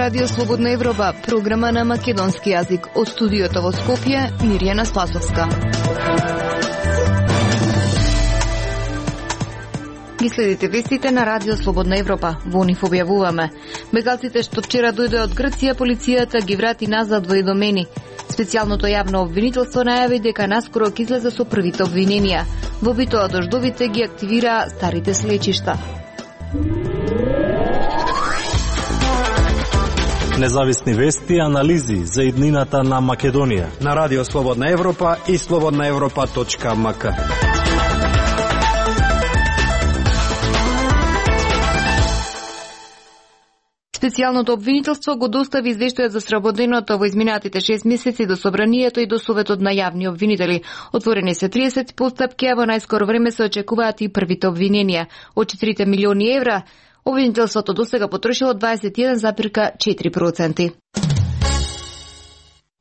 Радио Слободна Европа, програма на македонски јазик. Од студиото во Скопје, Мирјана Спасовска. Ги следите вестите на Радио Слободна Европа. Во нив објавуваме: бегалците што вчера дојде од Грција, полицијата ги врати назад во Идомени. Специјалното јавно обвинителство најави дека наскоро ќе излезе со првите обвиненија. Во битоа дождовите ги активира старите слечишта. Независни вести и анализи за иднината на Македонија на Радио Слободна Европа и slobodnaevropa.mk. Специјалното обвинителство го достави извештајот за сработеното во изминатите 6 месеци до Собранието и до Советот на јавни обвинители. Отворени се 30 постапки, а во најскоро време се очекуваат и првите обвиненија. Од 4 милиони евра, обвинителството досега потрошило 21,4%.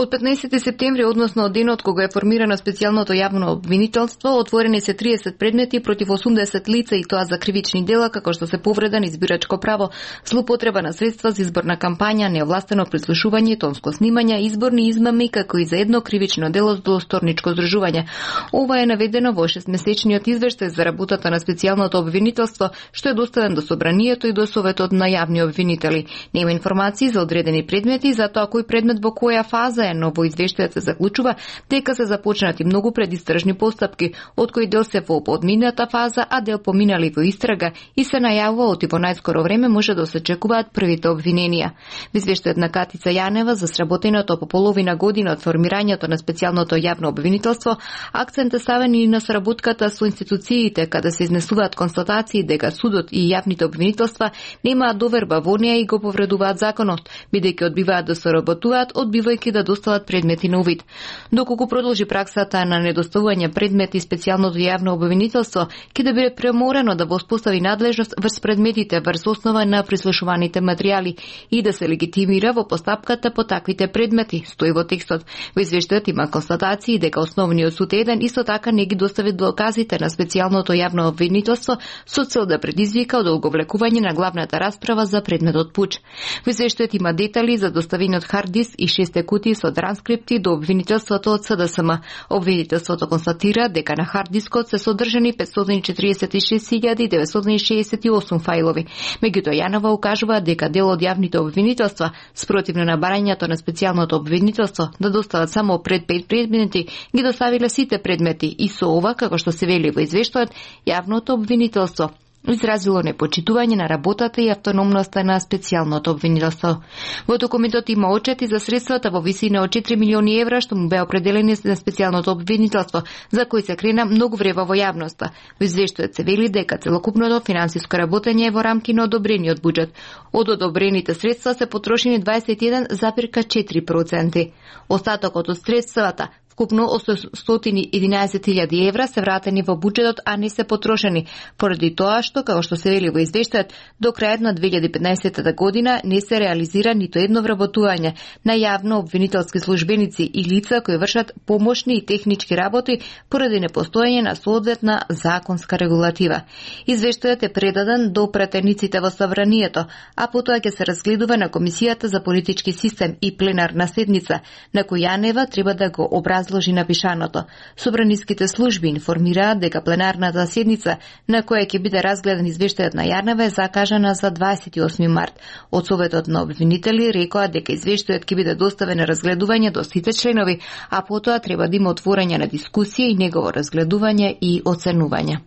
Од 15 септември, односно од денот кога е формирано специјалното јавно обвинителство, отворени се 30 предмети против 80 лица, и тоа за кривични дела како што се повреда на избирачко право, злоупотреба на средства за изборна кампања, неовластено прислушување, тонско снимање, изборни измами, како и за едно кривично дело до сторничко здружување. Ова е наведено во 6-месечниот извештај за работата на специјалното обвинителство, што е доставен до Собранието и до Советот на јавни обвинители. Нема информации за одредени предмети, затоа кој предмет во која фаза, но во извештајот се заклучува дека се започнати многу предистржни постапки, од кои дел се во подмината фаза, а дел поминали во истрага, и се најавува оти во најскоро време може да се очекуваат првите обвиненија. Во извештајот на Катица Јанева за сработеното по половина година од формирањето на специјалното јавно обвинителство, акцент е ставен и на сработката со институциите, каде се изнесуваат констатации дека судот и јавните обвинителства немаат доверба во неа и го повредуваат законот, бидејќи одбиваат да соработуваат, одбивајќи да достават предмети на увид. Доколку продолжи праксата на недоставување предмети, специјалното јавно обвинителство ќе да биде преморено да воспостави надлежност врз предметите врз основа на прислушуваните материјали и да се легитимира во постапката по таквите предмети, стои во текстот. Во извештајот има констатации дека основниот суд еден исто така не ги достави доказите на специјалното јавно обвинителство со цел да предизвика одолговлекување на главната расправа за предметот пуч. Во извештајот има детали за доставениот хард диск и 6 кутии со транскрипти до обвинителството од СДСМ. Обвинителството констатира дека на хард дискот се содржани 546.968 фајлови. Меѓутоа Јанова укажува дека дел од јавните обвинителства, спротивно на барањето на специјалното обвинителство да достават само пред 5 предмети, ги доставиле сите предмети, и со ова, како што се вели во извештајот, јавното обвинителство изразило непочитување на работата и автономноста на специјалното обвинителство. Во документот има отчети за средствата во висина од 4 милиони евра што му беа определени на специјалното обвинителство, за кои се крена многу врева во јавноста. Во извештајот се вели дека целокупното финансиско работење е во рамки на одобрениот буџет. Од одобрените средства се потрошени 21,4%. Остатокот од средствата, вкупно 111.000 евра, се вратени во буџетот, а не се потрошени, поради тоа што, како што се вели во извештајот, до крајот на 2015 година не се реализира ниту едно вработување на јавно обвинителски службеници и лица кои вршат помошни и технички работи поради непостоење на соодветна законска регулатива. Извештајот е предаден до пратениците во Собранието, а потоа ќе се разгледува на Комисијата за политички систем и пленарна седница, на која Јанева треба да го образложи напишаното. Собраниските служби информираат дека пленарната седница на која ќе биде разгледан извештајот на Јанева е закажана за 28 март. Од Советот на обвинители рекоа дека извештајот ќе биде доставен на разгледување до сите членови, а потоа треба да има отворање на дискусија и негово разгледување и оценување.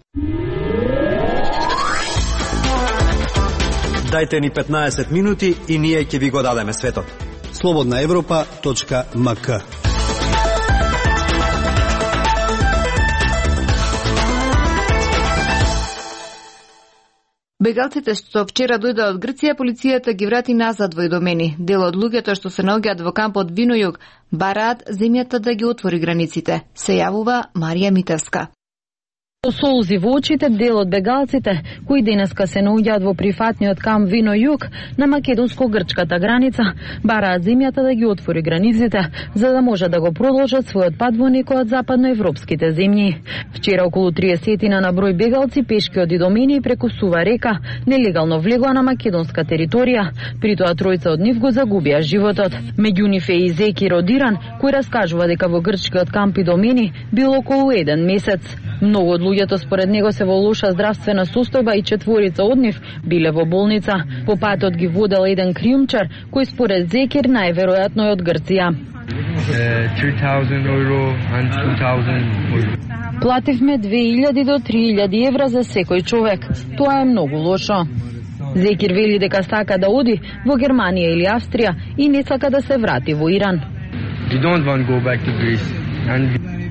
Дајте ни 15 минути и ние ќе ви го дадеме светот. slobodnaevropa.mk. Бегалците што вчера дојде од Грција, полицијата ги врати назад во Идомени. Дел од луѓето што се наоѓаат во кампот Винојуг бараат земјата да ги отвори границите. Се јавува Марија Митевска. Со солзи во очите, дел од бегалците, кои денеска се наоѓаат во прифатниот камп Вино Југ на македонско-грчката граница, бараат земјата да ги отвори границите, за да може да го продолжат својот пат во некои од западноевропските земји. Вчера околу 30 на број бегалци пешки од Идомени и преку Сува река нелегално влегоа на македонска територија, притоа тројца од нив го загубија животот. Меѓу нив е и Зекир Одиран, кој раскажува дека во грчкиот камп Идомени бил околу 1 месец. Многу од луѓето според него се во лоша здравствена состојба и четворица од нив биле во болница. По патот ги водел еден криумчар, кој според Зекир најверојатно е од Грција. 2000 euro and 2000 euro. Плативме 2000 до 3000 евра за секој човек. Тоа е многу лошо. Зекир вели дека сака да оди во Германија или Австрија и не сака да се врати во Иран. We don't want to go back to Greece.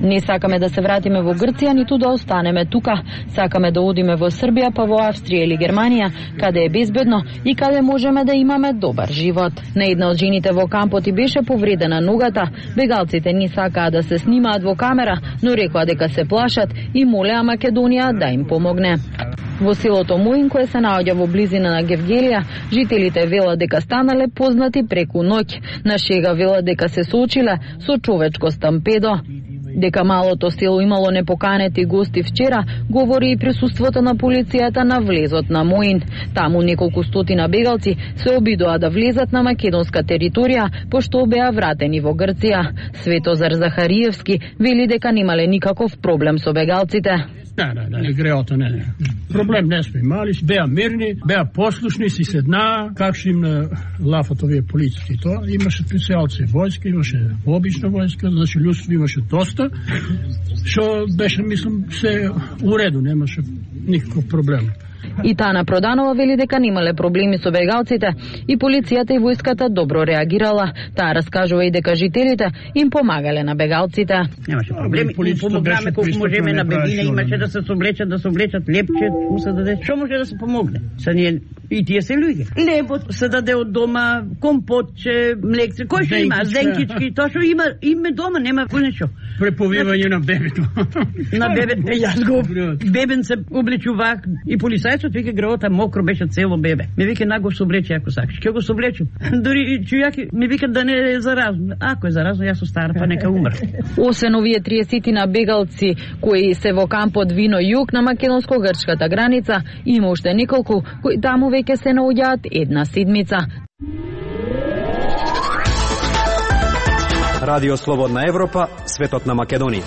Не сакаме да се вратиме во Грција, ниту да останеме тука. Сакаме да одиме во Србија, па во Австрија или Германија, каде е безбедно и каде можеме да имаме добар живот. На една од жените во кампот и беше повредена ногата. Бегалците не сакаа да се снимаат во камера, но рекоа дека се плашат и молеа Македонија да им помогне. Во селото Моин, кое се наоѓа во близина на Гевгелија, жителите велат дека станале познати преку ноќ. На шега велат дека се соочиле со човечко стампедо. Дека малото село имало непоканети гости вчера, говори и присуството на полицијата на влезот на Моин. Таму неколку стотина бегалци се обидоа да влезат на македонска територија, пошто беа вратени во Грција. Светозар Захариевски вели дека немале никаков проблем со бегалците. Не, греото не. Проблем не сме имали, беа мирни, беа послушни, си седнаа, как што им на лафот овие полицски тоа. Имаше специјалци војска, имаше обична војска, значи луѓето имаше доста, што беше, мислам, се уреду, немаше никаков проблем. И Тана Проданова вели дека немале проблеми со бегалците и полицијата и војската добро реагирала. Таа раскажува и дека жителите им помагале на бегалците. Немаше проблеми, помогнаме колку можеме на бебине, имаше да се соблечат, лепче, се даде. Што може да се помогне? Са ние и тие се луѓе. Лебот се даде од дома, компотче, млекце, кој што има, зенкички, тоа што има дома, нема ништо. Преповивање на бебето. На бебето, јас го бебен се облечувак и полицајцот вика греота мокро беше цело бебе. Ми вика на го соблече ако сакаш. Ќе го соблечу. Дури чујаки ми викат да не е заразно. Ако е заразно, јас остара па нека умре. Освен овие 30 на бегалци кои се во кампот Вино Југ на македонско-грчката граница, има уште неколку кои таму веќе се наоѓаат една седмица. Радио Слободна Европа, светот на Македонија.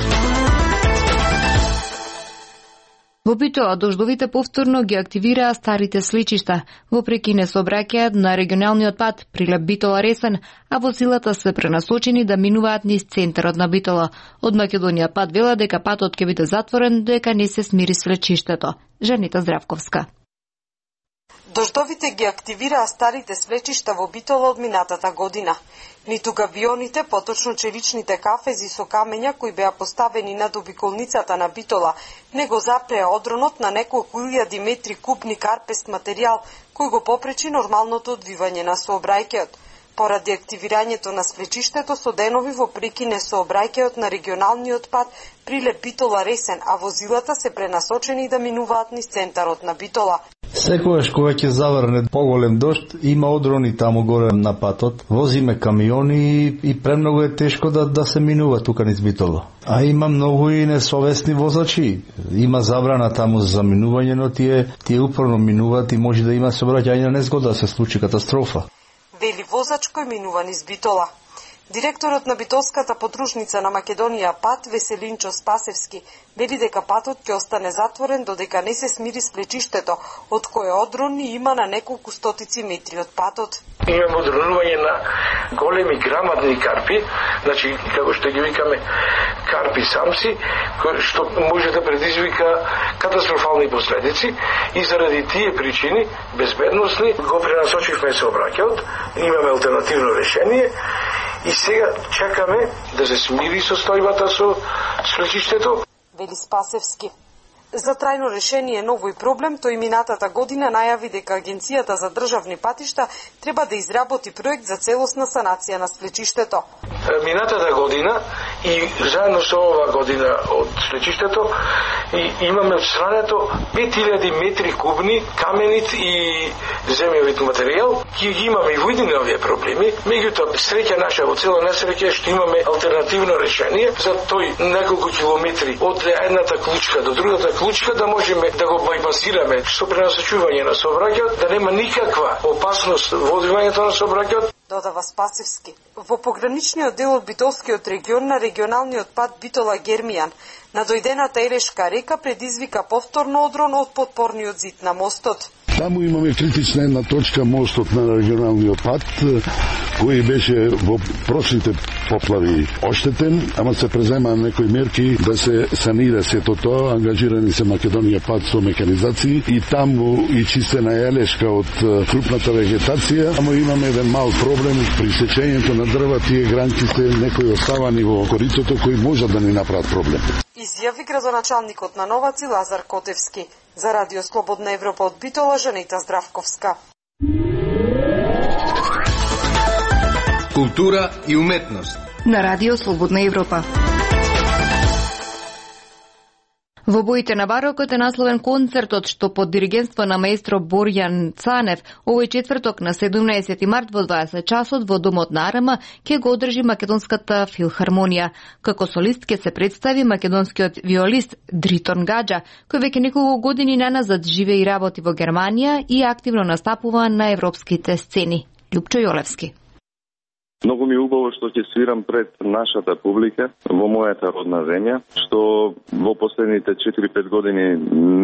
Во Битола дождовите повторно ги активираа старите сличишта, вопреки не сообраќајат на регионалниот пат Прилеп Битола Ресен, а возилата се пренасочени да минуваат низ центарот на Битола. Од Македонија пат вела дека патот ќе биде затворен дека не се смири слечиштето. Жанита Здравковска. Дождовите ги активираа старите свлечишта во Битола од минатата година. Ниту гавионите, поточно челичните кафези со камења кои беа поставени над обиколницата на Битола, не го запреа одронот на неколку илјади метри кубни карпест материјал кој го попречи нормалното одвивање на сообраќајот. Поради активирањето на свлечиштето со денови во прекине сообраќајот на регионалниот пат Прилеп Битола Ресен, а возилата се пренасочени да минуваат низ центарот на Битола. Секогаш кога ќе заврне поголем дожд, има одрони таму горе на патот. Возиме камиони и премногу е тешко да се минува тука низ Битола. А има многу и несовесни возачи. Има забрана таму за минување, но тие упорно минуваат и може да има сообраќајна незгода, да се случи катастрофа. Вели воzač кој минува низ Битола. Директорот на Битолската подружница на Македонија пат Веселинчо Спасевски вели дека патот ќе остане затворен додека не се смири сплечиштето, од кое одрони има на неколку стотици метри од патот. Имаме одронување на големи грамадни карпи, значи како што ги викаме карпи самци, што може да предизвика катастрофални последици и заради тие причини безбедносни го пренасочивме сообраќајот, имаме алтернативно решение. И сега чекаме да се смири состојбата со сличиштето. Вели Спасевски. За трајно решение на овој проблем, тој минатата година најави дека Агенцијата за државни патишта треба да изработи проект за целосна санација на свлечиштето. Минатата година и заедно со ова година од свлечиштето имаме отстрането 5000 метри кубни каменит и земјовит материјал. Ги имаме и во едни овие проблеми, меѓутоа среќа наша во цела несреќа што имаме алтернативно решение за тој неколку километри од едната клучка до другата клучка да можеме да го байпасираме со пренасочување на сообраќајот, да нема никаква опасност во одвивањето на сообраќајот. Додава Спасивски. Во пограничниот дел од Битолскиот регион на регионалниот пат Битола-Гермијан, надојдената Ерешка река предизвика повторно одрон од подпорниот зид на мостот. Таму имаме критична една точка, мостот на регионалниот пат, кој беше во прошлите поплави оштетен, ама се презема некои мерки да се санира сето тоа, ангажирани се Македонија пат со механизации и таму и чистена елешка од крупната вегетација, ама имаме еден мал проблем при сечењето на дрва, тие гранки се некои оставани во коритото кои можат да ни направат проблем. Изјави градоначалникот на Новаци Лазар Котевски. За Радио Слободна Европа од Битола, Жанета Здравковска. Култура и уметност. На Радио Слободна Европа. Во боите на барокот е насловен концертот што под диригентство на маестро Борјан Цанев овој четврток на 17 март во 20 часот во Домот на АРМ ќе го одржи Македонската филхармонија. Како солист ќе се представи македонскиот виолист Дритон Гаджа, кој веќе неколку години наназад живее и работи во Германија и активно настапува на европските сцени. Љупчо Јолевски. Многу ми е убаво што ќе свирам пред нашата публика во мојата родна земја, што во последните 4-5 години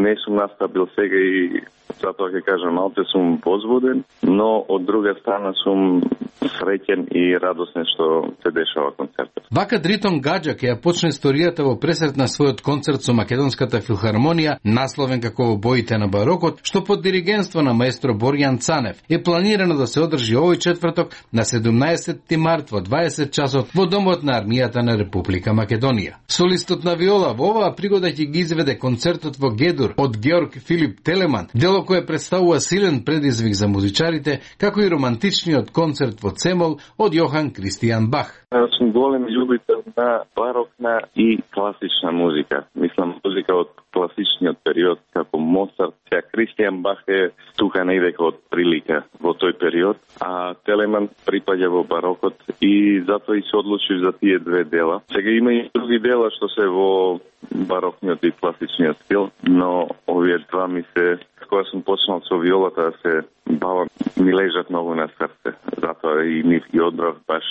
не сум настапил сега и затоа ќе кажам малце сум возбуден, но од друга страна сум среќен и радосен што се дешава концертот. Вака Дритон Гаджа ќе ја почне историјата во пресрет на својот концерт со Македонската филхармонија, насловен како во боите на барокот, што под диригентство на маестро Борјан Цанев е планирано да се одржи овој четврток на 17 март во 20 часот во Домот на армијата на Република Македонија. Солистот на виола во оваа пригода ќе ги изведе концертот во Гедур од Георг Филип Телеман, дело кое представува силен предизвик за музичарите, како и романтичниот концерт во Цемол од Јохан Кристијан Бах. Јас сум голем љубител на барокна и класична музика. Мислам, музика од класичниот период, како Моцарт, сега Кристијан Бах е тука недека од прилика во тој период, а Телеман припаѓа во барокот и затоа и се одлучив за тие две дела. Сега има и други дела што се во барокниот и класичниот стил, но овие два ми се, кога сум почнал со виолата да се бавам, ми лежат многу на срце. Затоа и нив ги одбрав баш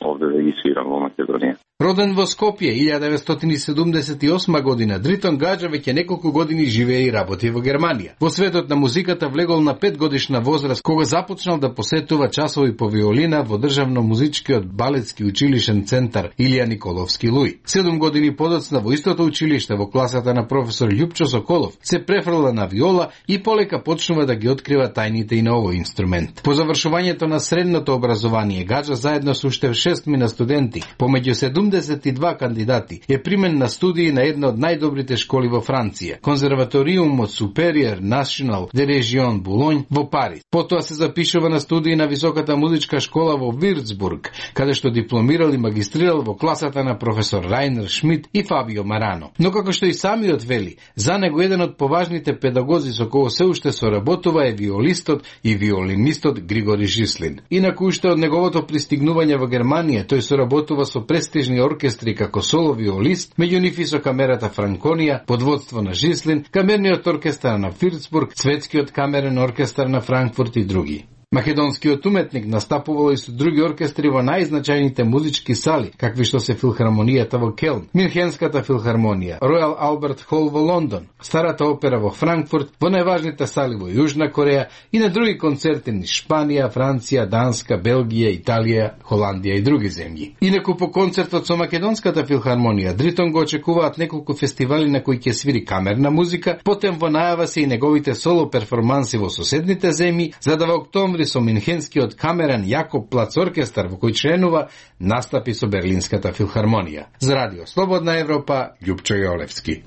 овде да ги свирам во Македонија. Роден во Скопје 1978 година, Дритон Гаджа веќе неколку години живее и работи во Германија. Во светот на музиката влегол на 5 годишна возраст, кога започнал да посетува часови по виолина во државно музичкиот балетски училишен центар Илија Николовски Луј. 7 години подоцна во истото училиште во класата на професор Љупчо Соколов се префрла на виола и полека почнува да ги открива тајните и на овој инструмент. По завршувањето на средното образование, Гаджа заедно со уште 6 мина студенти, помеѓу 72 кандидати, е примен на студии на една од најдобрите школи во Франција, Конзерваториумот Superior National de Région Boulogne во Париз. Потоа се запишува на студии на Високата музичка школа во Вирцбург, каде што дипломирал и магистрирал во класата на професор Рајнер Шмидт и Фабио Марано. Но како што и самиот вели, за него еден од поважните педагози со кој се уште соработува е виолистот и виолинистот Григори Жислин. Инаку уште од неговото пристигнување во Германија, тој соработува со престижни оркестри како соло виолист, меѓу нив и со камерата Франконија под водство на Жислин, камерниот оркестар на Вирцбург, светскиот камерен оркестар на Франкфурт и други. Македонскиот уметник настапувал и со други оркестри во најзначајните музички сали, какви што се филхармонијата во Келн, Мюнхенската филхармонија, Ројал Алберт Хол во Лондон, Старата опера во Франкфурт, во најважните сали во Јужна Кореја и на други концерти низ Шпанија, Франција, Данска, Белгија, Италија, Холандија и други земји. Инаку по концертот со Македонската филхармонија, Дритон го очекуваат неколку фестивали на кои ќе свири камерна музика, потем во најава се и неговите соло перформанси во соседните земји, за да во октомври со Минхенскиот камерен Јакоб Плац оркестар во кој членува настапи со Берлинската филхармонија. За Радио Слободна Европа, Љупчо Јолевски.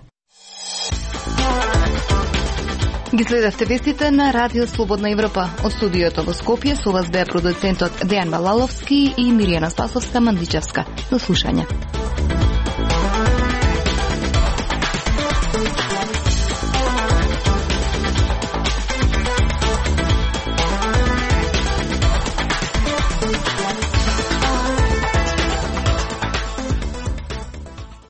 Ги следевте вестите на Радио Слободна Европа. Од студиото во Скопје со вас беа продуцентот Дејан Балаловски и Миријана Спасовска-Мандичевска. До слушање.